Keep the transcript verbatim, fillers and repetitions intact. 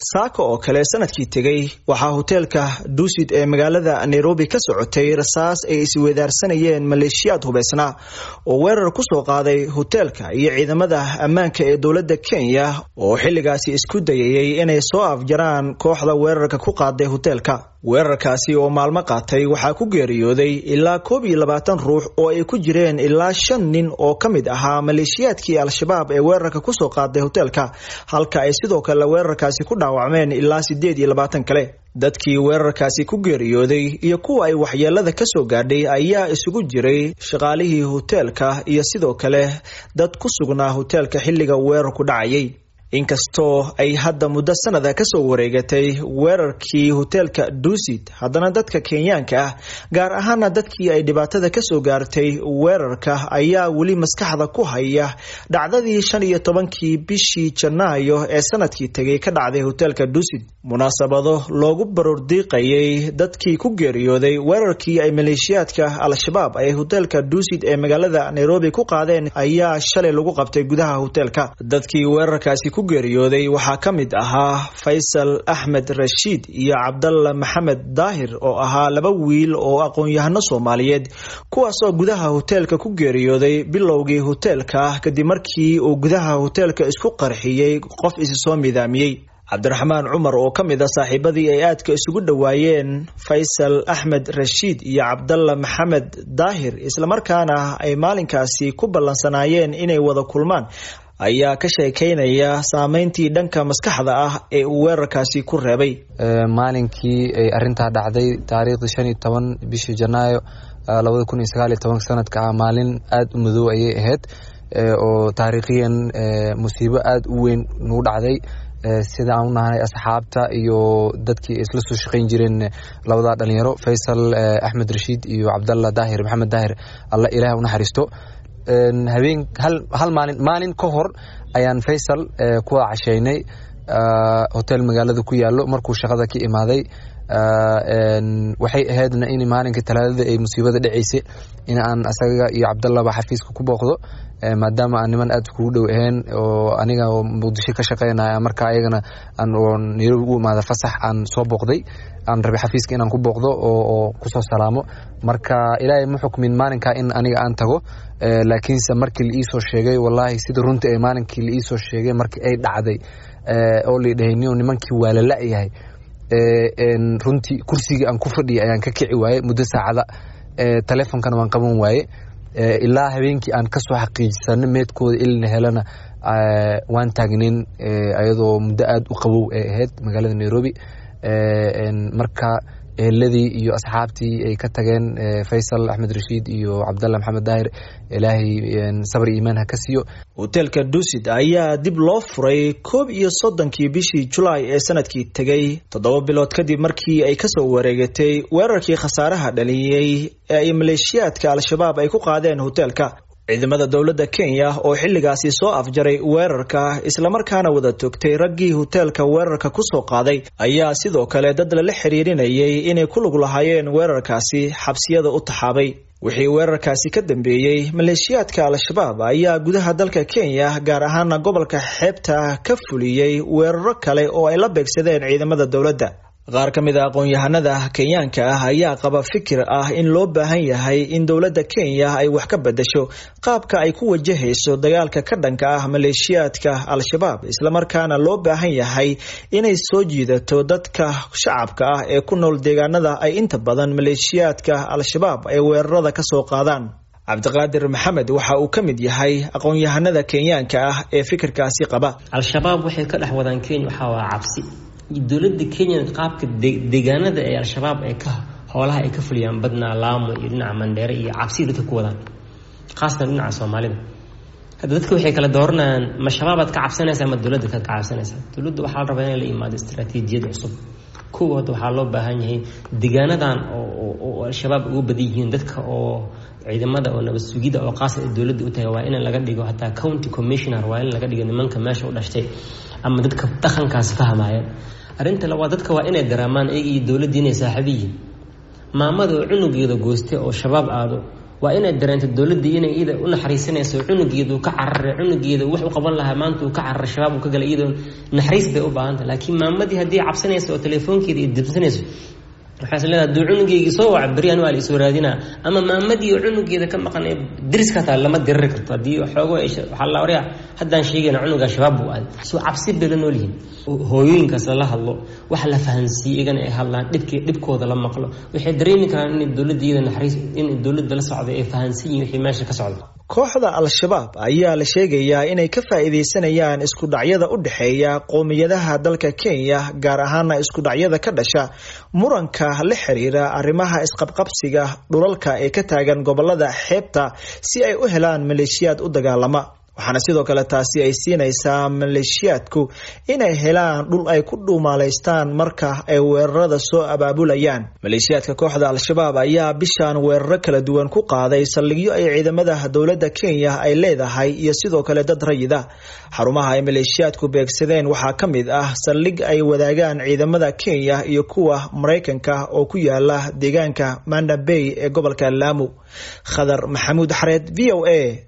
Saaka oo kale sanadkii tegay waxaa hoteelka Dusit ee magaalada Nairobi ka socotay rasaas ay isweydaarsanayeen maleeshiyaad hubeysnaa oo weerar kusoo qaaday hoteelka iyo ciidamada ammaanka ee dowladda Kenya oo xilligaasi isku dayayay inay soo afjaraan kooxda weerarka ku qaaday hoteelka. Weerarkaasi oo maalmo qaatay waxaa ku geeriyooday ilaa koob iyo labaatan ruux oo ay ku jireen ilaa shan nin oo ka mid ahaa maleeshiyaadkii Al-Shabaab ee weerarka kusoo qaaday hoteelka, halka ay sidoo kale weerarkaasi ku dhaawacmeen ilaa sideed iyo labaatan kale. Dadkii weerarkaasi ku geeriyooday iyo kuwa ay waxyeelada ka soo gaadhay ayaa isugu jiray shaqaalihii hoteelka iyo sidoo kale dad ku sugnaa hoteelka xilliga weerarku dhacayay. Inkastoo ay hadda muddo sanada kasoo wareegatay weerarkii hoteelka Dusit, haddana dadka Kenyaanka ah, gaar ahaana dadkii ay dhibaatada kasoo gaartay weerarka, ayaa weli maskaxda ku haya dhacdadii shan iyo tobankii bishii Janaayo ee sanadkii tegay ka dhacday hoteelka Dusit. Munaasabado loogu baroordiiqayay dadkii ku geeriyooday weerarkii ay maleeshiyaadka Al-Shabaab ay hoteelka Dusit ee magaalada Nairobi ku qaadeen ayaa shalay lagu qabtay gudaha hoteelka. Dadkii weerarkaasi ku geeriyooday waxaa ka mid ahaa Faysal Axmed Rashiid iyo Cabdalla Maxamed Daahir oo ahaa laba wiil oo aqoon-yahano Soomaaliyeed, kuwaasoo gudaha hoteelka ku geeriyooday bilowgii hoteelka kadib markii uu gudaha hoteelka isku qarxiyey qof isi soo midaamiyey. Cabdiraxmaan Cumar oo ka mid ah saaxiibadii ay aadka isugu dhowaayeen Faysal Axmed Rashiid iyo Cabdalla Maxamed Daahir, islamarkaana ay maalinkaasi ku ballansanaayeen inay wada kulmaan, ayaa ka sheekeynaya saameyntii dhanka maskaxda ah ee uu weerarkaasi ku reebay. Maalinkii ay arintaa dhacday, taariikhdii shan iyo toban bishii Janaayo labada kun iyo sagaal iyo tobanka sanadka ah, maalin aada u madow ayay ahayd oo taariikhiyan musiibo aada u weyn nagu dhacday, sida aan u nahanay asxaabta iyo dadkii isla soo shaqeyn jireen labadaa dhalinyaro, Faysal Axmed Rashiid iyo Cabdalla Daahir Maxamed Daahir, Alla Ilaah u naxariisto. Habeen hal maalin maalin ka hor ayaan Faysal ku casheynay hotel magaalada ku yaalo markuu shaqada ka imaaday. Waxay ahaydna in maalinka Talaadada ay musiibada dhaceysay in aan asaga iyo Cabdallaba xafiiska ku booqdo, maadaama aan niman aada kugu dhow ahayn oo aniga oo Muqdisho ka shaqeynaya, marka ayagana aan Nairobi u imaada fasax, aan soo booqday, aan rabay xafiiska inaan ku booqdo oo kusoo salaamo. Marka Ilaahay ma xukmin maalinka in aniga aan tago, laakiinse markii la iisoo sheegay, wallaahi sida runta ee maalinkii la iisoo sheegay markii ay dhacday oo la dhahay nimankii waa la la-yahay, runtii kursigii aan ku fadhiyay ayaan ka kici waayey muddo saacada, telefonkana waan qaban waaye ilaa habeenkii aan kasoo xaqiijisano meedkooda ilna helana. Waan taagnayn ayadoo muddo aada u qabow ay ahayd magaalada Nairobi. Marka eheladii iyo asxaabtii ay ka tageen Faysal Axmed Rashiid iyo Cabdalla Maxamed Daahir, Ilaahay sabr iimaan ha ka siiyo. Hoteelka Dusit ayaa dib loo furay koob iyo soddonkii bishii Julaay ee sanadkii tegay, toddoba bilood kadib markii ay kasoo wareegatay weerarkii khasaaraha dhaliyey ee ay maleeshiyaadka Al-Shabaab ay ku qaadeen hoteelka. Ciidamada dowladda Kenya oo xilligaasi soo afjaray weerarka islamarkaana wada togtay raggii hoteelka weerarka kusoo qaaday ayaa sidoo kale dad lala xiriirinayay inay ku lug lahaayeen weerarkaasi xabsiyada u taxaabay. Wixii weerarkaasi ka dambeeyey, maleeshiyaadka Al-Shabaab ayaa gudaha dalka Kenya, gaar ahaana gobolka xeebta, ka fuliyey weeraro kale oo ay la beegsadeen ciidamada dowladda. Qaar ka mid a aqoon-yahanada Kenyaanka ah ayaa qaba fikir ah in loo baahan yahay in dowladda Kenya ay wax ka bedesho qaabka ay ku wajahayso dagaalka ka dhanka ah maleeshiyaadka Al-Shabaab, islamarkaana loo baahan yahay inay soo jiidato dadka shacabka ah ee ku nool deegaanada ay inta badan maleeshiyaadka Al-Shabaab ay weerarada kasoo qaadaan. Cabdiqaadir Maxamed waxa uu ka mid yahay aqoon-yahanada Kenyaanka ah ee fikirkaasi qaba. Al-Shabaab waxay ka dhex wadaan Kenya waxaa waa cabsi. Dowladda Kenya qaabka deegaanada ee Al-Shabaab ay ka howlaha ay ka fuliyaan badnaa Laamo iyo dhinaca Mandheere iyo cabsi dadka ku wadaan, khaasatan dhinaca Soomaalida. Hadda dadka waxay kala dooranayaan: ma Shabaabaad ka cabsanaysa ama dowladda ka cabsanaysa? Dowladda waxaa la rabaa inay la imaado istaraatiijiyad cusub. Kuwa hadda waxaa loo baahan yahay deegaanadan oo Al-Shabaab ugu badan yihiin, dadka oo ciidamada oo nabad sugida oo qaas ay dowladda u tahay waa in laga dhigo hataa county commissioner, waa in laga dhigo nimanka meesha u dhashtay ama dadka dhaqankaas fahmaya. Arrinta labaad, dadka waa inay daraamaan iyaga iyo dowladda inay saaxiibo yihiin. Maamada oo cunugeeda goostay oo Shabaab aado Waa inay dareento dowladda inay iyada u naxariisanayso cunugeeda uu ka cararay, cunugeeda wax u qaban lahaa maanta uu ka cararay, shabaab uu ka galay, iyadoo naxariis bay u baahantah. Laakiin maamadii haddii cabsanayso oo telefoonkeeda ay dibsanayso, waxaa is leedahay hadduu cunugeygii soo waca beri anu waa la isoo raadinaa. Ama maamadii oo cunugeeda ka maqan ee deriska hataa lama diriri karto haddii xoogo waxaa la oraya haddaan sheegayna cunugaa shabaab buu aaday. Soo cabsi bay la nool yihiin. Hooyooyinkaas lala hadlo, wax la fahansiiye, iyagana ay hadlaan, dhibkii dhibkooda la maqlo, waxay dareemi karaan inay dowladda iyada naxariis, in dowladda la socday ay fahansan yihin wixii meesha ka socda. Kooxda Al-Shabaab ayaa la sheegayaa inay ka faa'iidaysanayaan isku dhacyada u dhexeeya qowmiyadaha dalka Kenya, gaar ahaana isku dhacyada ka dhasha muranka la xiriira arrimaha isqabqabsiga dhulalka ee ka taagan gobolada xeebta, si ay u helaan maleeshiyaad u dagaalama. Waxaana sidoo kale taasi ay siinaysaa maleeshiyaadku inay helaan dhul ay ku dhuumaalaystaan marka ay weerarada soo abaabulayaan. Maleeshiyaadka kooxda Al-Shabaab ayaa bishan weeraro kala duwan ku qaaday saldhigyo ay ciidamada dowladda Kenya ay leedahay iyo sidoo kale dad rayida. Xarumaha ay maleeshiyaadku beegsadeen waxaa ka mid ah saldhig ay wadaagaan ciidamada Kenya iyo kuwa Maraykanka oo ku yaala deegaanka Manda Bay ee gobolka Lamu. Khadar Maxamuud Xareed, V O A.